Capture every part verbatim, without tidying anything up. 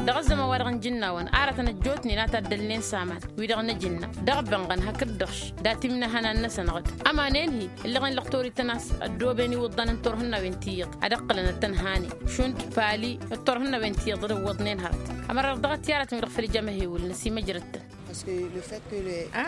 Dăɣ-ăzzăman-wa-dăɣ n-ijǝnnawăn aratăn ăjjootnen a taddălnen s-aman wi-dăɣ n-ajǝnna dăɣ-bănɣăn hakd-dăɣ-š dat-imnăhănan-năsăn ɣǝd. Ămanen-hi ǝllăɣen lăqtor ităn a-s ăddooben iwǝḍḍan n-turhǝnnawen ti iyyăḍ ad-ǝqqǝlăn ad-tăn-hanen šund pali d-turhǝnnawen ti iyyăḍ d-ǝwwăḍnen hărăt. Ămăra-dăɣ dăɣ-t i-aratăn wi-dăɣ făll-ijamăhewǝl n-asimăjrăd-tăn.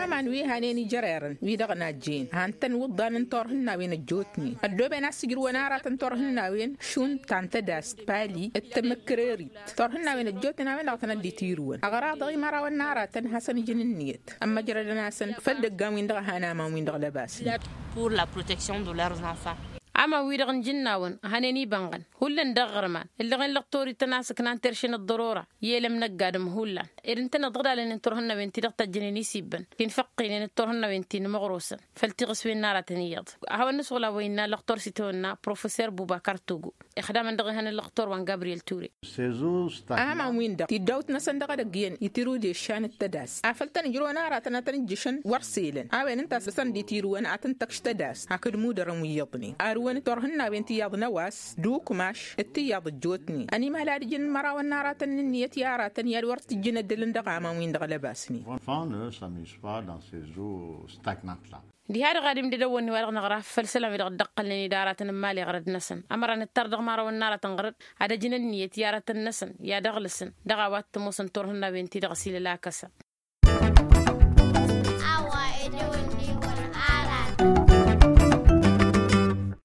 Aman wi hanen ijărerăn wi-dăɣ n-ajjen han-tăn iwǝḍḍan n-turhǝnnawen ăjjootnen ăddooben a-s ǝjrǝwăn aratăn turhǝnnawen šund ta n-tădast pali d-tamǝkkărărit. Turhǝnnawen ăjjootnen a-wen-dăɣ a tăn-ăddit irǝwăn ăɣraḍăɣ imărawăn n-aratăn hasăn-ǝjǝn ǝnniyăt ămmăjrădăn-asăn făll-dăggan-win-dăɣ a han aman-win-dăɣ lăbasnen. Pour la protection de leurs enfants. Aman-wi-dăɣ n-ijǝnnawăn hănen ibănɣăn hullan dăɣ-iɣărman ǝllăɣen lăqtor-ităn a-s ǝknan terše n-ăḍḍărora i-elăm n-ăgg-adǝm hullan ed ǝntăneḍ dăɣ-dalănen turhǝnnawen-ti-dăɣ tăjjănen isibbăn ti n-făqqinen d-turhǝnnawen ti n-imăɣrosăn făll-tiɣǝswen n-aratăn iyyăḍ. A hawăn-nǝswăla wa innă lăqtor s-itawănna professor buba kartugu ixdamăn dăɣ-ihăn ăllăqtor wa n-gabriyel ture. Aman-win-dăɣ tiddawt-năsăn dăɣ-edăgg iyyăn itirǝw d-eššan d-tădast afăl tăn-ǝjrǝwăn aratăn ad-tăn-ǝjjǝšăn wăr s-elăn a-wen ǝnta a-s dăɣ-săn dd-itirǝwăn ad-tăn-tăkš tădast hakd mudărăn wi iyyăḍnen arǝwăn d-turhǝnnawen tiyyăḍ n-ăwas d-ukmaš d-tiyyăḍ ăjjootnen ănimăhăl ad-ǝjǝn imărawăn n-aratăn n-ǝnniyăt i-aratăn i-ad-wăr t-ǝjjǝn ăddălăn dăɣ-aman-win-dăɣ lăbasnen. Diha-dăɣ ad-imdăd ăwwănni-wa-dăɣ năɣra făll-isălan wi-dăɣ dd-ăqqălnen-dd aratăn n-imali ɣărăd-năsăn ămăra nǝttar dăɣ-imărawăn n-aratăn ɣărăd ad-ăjǝn ǝnniyăt i-aratăn-năsăn i-ad-ăɣlǝsăn dăɣ-a-wa t-ămoosăn turhǝnnawen-ti-dăɣ s-ilăl akăsa.